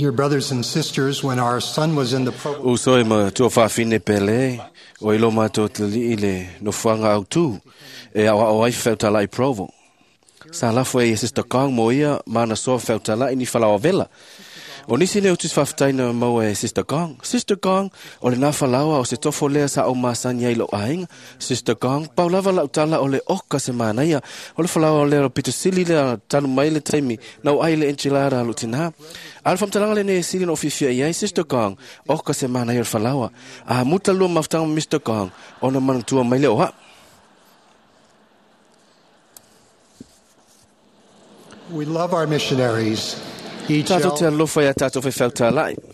Dear brothers and sisters, when our son was in the program, Uso e matua faafine pele o ilo matou talii le nofoaga autū e aoao ai feutala'i Provo. Sa lafo e Sister Gong mo ia ma ana soa feutala'i ni falaoa vela. O nisi lea o tusi faafetaina maua e Sister Gong. Sister Gong, o lenā falaoa o se tofo lea sa ou masani ai lo'u aiga. Sister Gong, pau lava la'u tala o le oka se manaia. O le falaoa lea o pito sili lea talu mai le taimi na ou ai le enchilada a lo'u tinā. A o le faamatalaga lenei e sili ona ou fiafia i ai, Sister Gong, oka se manaia o le falaoa. A muta lua mafutaga ma Mr. Gong, ona manatua mai lea o a'u. We love our missionaries. Each Tātou te elder, alofa ia tātou faifeau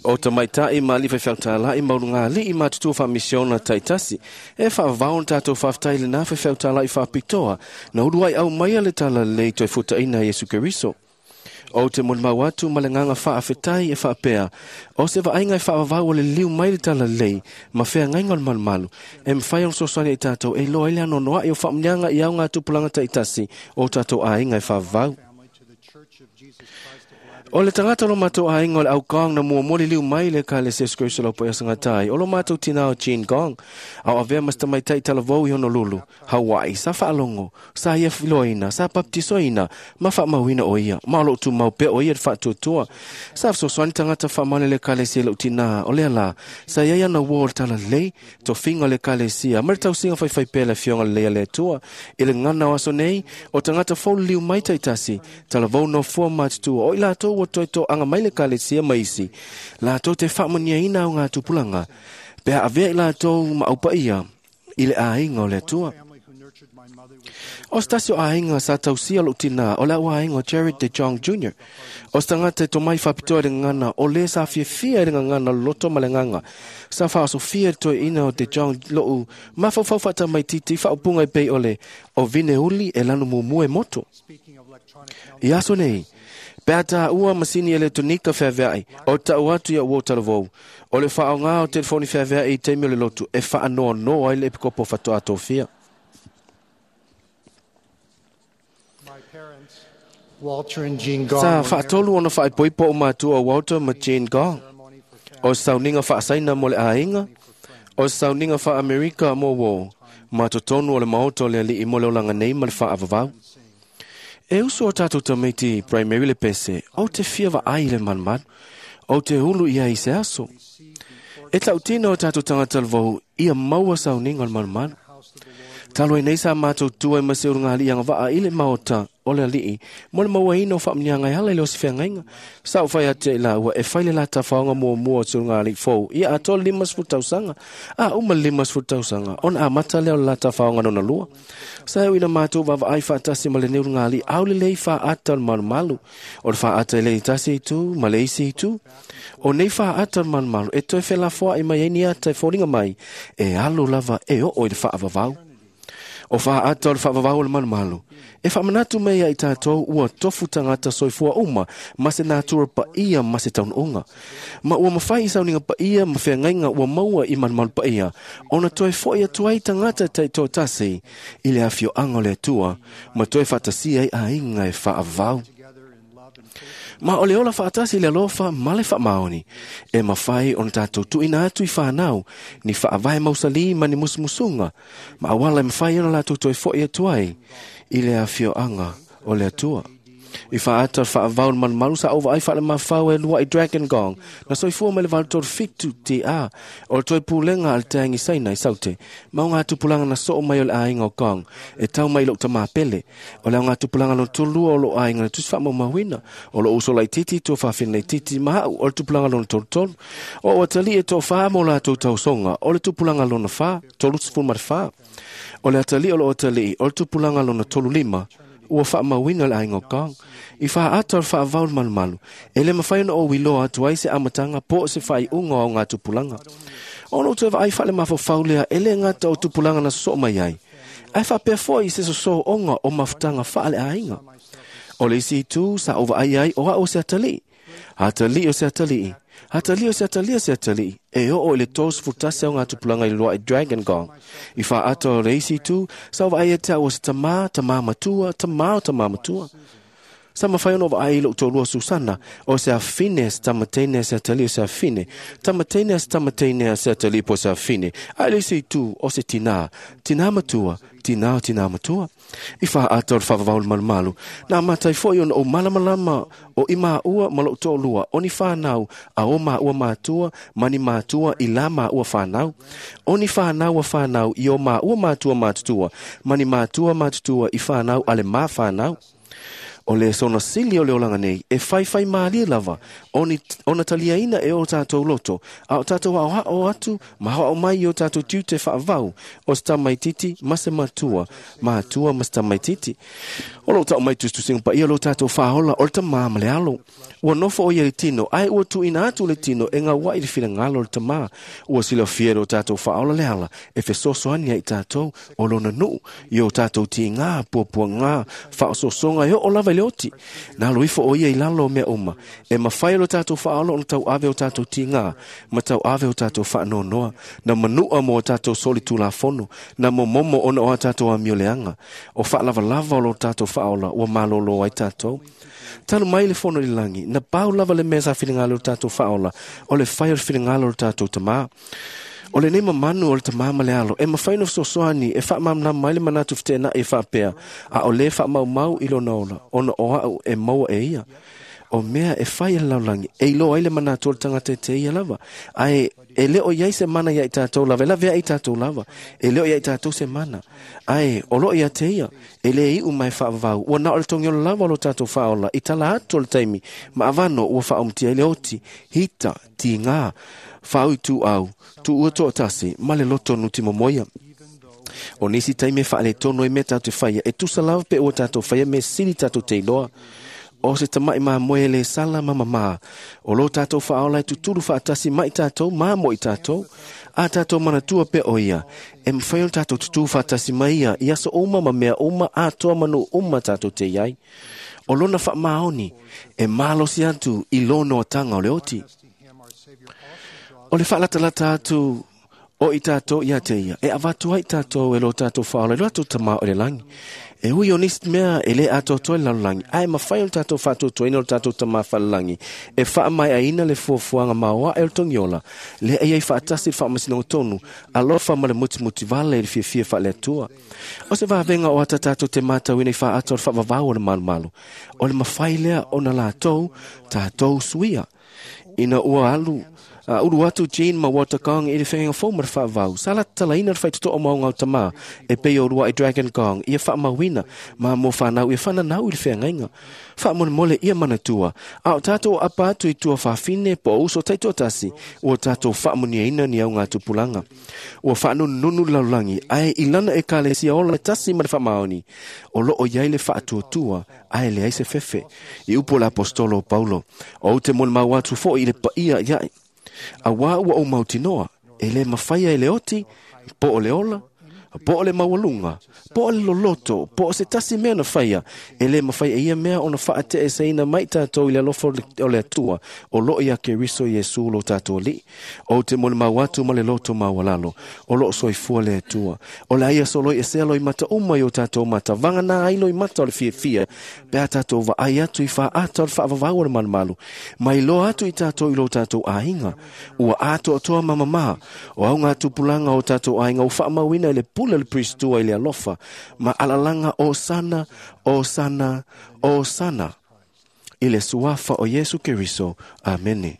o tamaita'i ma ali'i faifeau ma ulugalii ma tutua faamisiona taitasi. E faavavao ona tatou faafetai lenā faifeau faapitoa na uluai aumaia le talalelei toe futa'ina Iesu Keriso. Ou te molimau atu ma le agaga faafetai e faapea, o se vaaiga e faavavau o le liliu mai le talalelei ma feagaiga o le malumalu, e mafai ona fesoasoani ai tatou e iloa ai le anoanoa'i o faamuniaga i augatupulaga taitasi o tatou aiga e faavavau. family to the Church of Jesus Christ of Latter O le tagata o lo matou aiga o le au Gong na muamua liliu mai le Ekalesia Iesu Keriso o le Aupaia Sagatai. O lo matou tinā o Jean Gong, a o avea ma se tamaitai talavou i Honolulu, Hawaii, sa faalogo, sa ia filoaina, sa baptisoina, ma faamauina o ia, ma o loo tumau pea o ia le faatuatua. Sa fesoasoani tagata faamaoni le Ekalesia i lou tinā, o lea la, sa iai ana uō o le talalelei, tofiga o le Ekalesia, ma le tausiga faifaipea le afioga lelei a le Atua. I le gagana o aso nei, o tagata fou liliu mai taitasi, talavou nofoa matutua, o i latou ua toe toaga mai le Ekalesia ma isi, latou te faamanuiaina augatupulaga, pe a avea i latou ma aupaia i le aiga o le Atua. family who nurtured my mother was O se tasi o aiga sa tausia lo'u tinā o le au aiga o Jared De Jong Jr. O se tagata e tomai faapitoa i le gagana o lē sa fiafia i le gagana loloto ma le agaga. Sa faaosofia le toeaina o De Jong lo'u mafaufau faatamaititi faaupuga e pei o le o vine uli e lanu mumu e moto. Speaking of electronic health, I aso nei, pe a tāua masini eletonika feavea'i, o ta'u atu ia ua talavou, o le faaogā o telefoni feavea'i i taimi o le lotu e faanoanoa ai le epikopo fatoā tofia. my parents, Walter and Jean Gong, Sa were married faatolu ona faaipoipo o matua o Walter ma Jean Gong. ceremony for family O sauniga faasaina mo le aiga, o sauniga faaAmerika mo uō, ma totonu o le maota o le ali'i mo le olaga nei ma le faaavavau. E uso o tātou tamaiti primary le pese, ou te fia vaai i le malumalu, ou te ulu ia i se aso. E ta'utina o tātou tagata lavou ia maua sauniga o le malumalu. house of the Lord. Talu ai nei sa matou tua i ma se ulugalii agavaa i le maota o le ali'i mo le mauaina o faamuniaga e ala i le osifeagaiga. Sa ou fai atu ai laua e fai le lata faoga muamua o se ulugalii fou ia atoa le 50 tausaga. A uma le 50 tausaga ona amata lea o le lata faoga lona lua. Sa e uina matou vaavaai faatasi ma lenei ulugalii au lelei faaata o le malumalu. O le faaata i le tasi itu ma le isi itu. O nei faaata o le malumalu e toe felafoa'i mai ai ni ata e foliga mai e alu lava e oo i le faavavau. O faaata o le faavavau o le malumalu. E faamanatu mai ai tatou ua tofu tagata soifua uma ma se natura paia ma se taunuuga. Ma ua mafai i sauniga paia ma feagaiga ua maua i malumalu paia, ona toe fo'i atu ai tagata taitoatasi i le afioaga o le Atua, ma toe faatasia ai aiga e faavavau. Together in love and faith. Ma o le ola faatasi i le alofa ma le faamaoni, e mafai ona tatou tuuina atu i fanau, ni faavae mausalī ma ni musumusuga, ma auala e mafai ona latou toe fo'i atu ai i le afioaga o le Atua. I faaata o le faavavau o le malumalu sa ou vaai faalemafau e lua'i Dragon Gong, na soifua mai le 837 TA, o le toe pulega a le taeagi Saina i Saute, ma o gatupulaga na soo mai o le aiga o Gong, e tau mai i lo'u tamā pele. O le augatupulaga lona tolulua o lo'u aiga na tusi faamaumauina, o lo'u uso laitiiti tua faafina laitiiti ma a'u o le tupulaga lona tolutolu. O ou atalii e toafā ma o latou tausoga, o le tupulaga lona fa, 34. O le atalii o lo'u atalii, o le tupulaga lona 35, ua faamauina le aiga o Gong. I faaata o le faavavau o le malumalu, e le mafai ona ou iloa atu ai se amataga po o se faaiuga o augatupulaga. Ona ou toe vaai faalemafaufau lea e lē gata o tupulaga na sosoo mai ai, ae faapea fo'i se sosooga o mafutaga faaleaiga. O le isi itu sa ou vaai ai o a'u o se atalii. Atalii o se atalii. Atalii o se atalii o se atalii. E oo i le 31 augatupulaga i le lua'i Dragon Gong. I faaata o le isi itu, sa ou vaai ia te a'u o se tamā, tamā matua, tamā o tamā matua. Sa mafai ona vaai i lou toalua Susana, o se afine a se tamateine a se atalii o se afine, tamateine a se tamateine a se atalii po o se afine, a i le isi itu o se tinā, tinā matua, tinā o tinā matua. I fāata o le faavavau le malumalu, na amata ai foi ona ou malamalama o i maua ma lou toalua o ni fanau a o maua matua ma ni matua i la maua fanau. O ni fanau a fanau i o maua matua matutua ma ni matua matutua i fanau a le ma fanau. O le sona sili o le olaga nei, e faifai mālie lava, ona taliaina e o tātou loto, a o tātou aoao atu ma aoao mai i o tātou tiute faavau, o se tamaititi ma se matua, matua ma se tamaititi. O loo tau mai tusitusiga paia o lo tātou faaola o le tamā ma le alo. Ua nofo o ia i le tino, ae ua tuuina atu le tino e gaua'i le finagalo o le tamā. Ua silafia e lo tātou faaola le ala e fesoasoani ai i tātou o lona nuu i o tātou tigā, puapuagā, faaosoosoga e oo lava i le oti. Na alo ifo o ia i lalo o mea uma. E mafai e lo tātou faaola ona tauave o tātou tigā ma tauave o tātou faanoanoa, na manua mo o tātou solitulafono, na momomo ona o a tātou amioleaga. O faalavalava o lo tātou faaola ua malōlō ai tātou. Talu mai le fono i le lagi, na pau lava le mea sa finagalo o le tātou faaola, o le fai o le finagalo o le tātou tamā. O lenei mamanu o le tamā ma le alo, e mafai ona fesoasoani e faamalamalama ai le manatu feteenai e faapea, a o lē faamaumau i lona ola, ona o au e maua e ia. O mea e fai e le lalolagi, e iloa ai le manatu o le tagata e te ia lava, ae e le o i ai se mana iā i tātou lava, e laveai i tātou lava, e le o iā i tātou se mana, ae o loo ia te ia, e lē iu ma e faavavau, ua na o le togiola lava o lo tātou faaola i tala atu o le taimi, ma avano ua faaumutia ai le oti, hita, tigā, faauituau, tuua toatasi, ma le loto nutimomoia. O nisi taimi e faaletonu ai mea tatou te faia, e tusa lava pe ua tatou faia mea sili tatou te iloa. O se tama'i mamoe e lē sala ma mamā, o lo tātou faaola e tutulu faatasi mai tātou ma mo i tātou, a tātou manatua pea o ia, e mafai ona tātou tutū faatasi mai ia i aso uma ma mea uma atoa ma nuu uma tatou te i ai. O lona faamaoni e malosi atu i lona oataga o le oti. O le faalatalata atu o i tātou ia te ia, e avatu ai tātou e lo tātou faaola i lo tātou Tamā o le lagi. E ui o nisi mea e lē atoatoa i le lalolagi, ae mafai ona tātou faatuatuaina o lo tātou Tamā falelagi, e faamaeaina le fuafuaga maoae o le togiola, lea e i ai faatasi le faamasinoga tonu, alofa ma le mutimuti vale i le fiafia faale-Atua. O se vavega o ata tātou te matauina i faata o le faavavau o le malumalu, o le mafai lea ona latou tātou suia. Ina ua alu a ulu atu Gene ma Walter Gong i le feagaiga fou ma le faavavau, sa latatalaina le faitotoa mo augao tamā e pei o ulua'i Dragon Gong ia faamauina ma mo fanau ia fananau i le feagaiga. Faamolemole ia manatua, a o tātou apa atu i tua fafine po o uso taitoatasi, ua tātou faamuniaina ni augatupulaga. Ua faanunununu le lalolagi, ae i lana ekalesia ola e tasi ma le faamaoni, o loo i ai le faatuatua, ae leai se fefe. I upu o le aposetolo o Paulo, Ou te molimau atu foi i le paia iaʻe, auā ua ou mautinoa, e lē mafai ai le oti, po o le ola, po o le maualuga, po o le loloto, po o se tasi mea na faia, e lē mafai e ia mea ona faateeseina mai tātou i le alofa o le Atua o loo iā Keriso Iesu lo tātou Alii. Ou te molimau atu ma le loto maualalo, o loo soifua le Atua. O le a ia soloi esea loimata uma i o tātou mata, vagana ai loimata o le fiafia, pe a tātou vaai atu i faaata o le faavavau o le malumalu, ma iloa atu i tātou i lo tātou aiga, ua atoatoa ma mamā, o augatupulaga o tātou aiga ua faamauina i le pule o le Peristua i le alofa ma alalaga Osana, Osana, Osana, i le suafa o Iesu Keriso. Amene.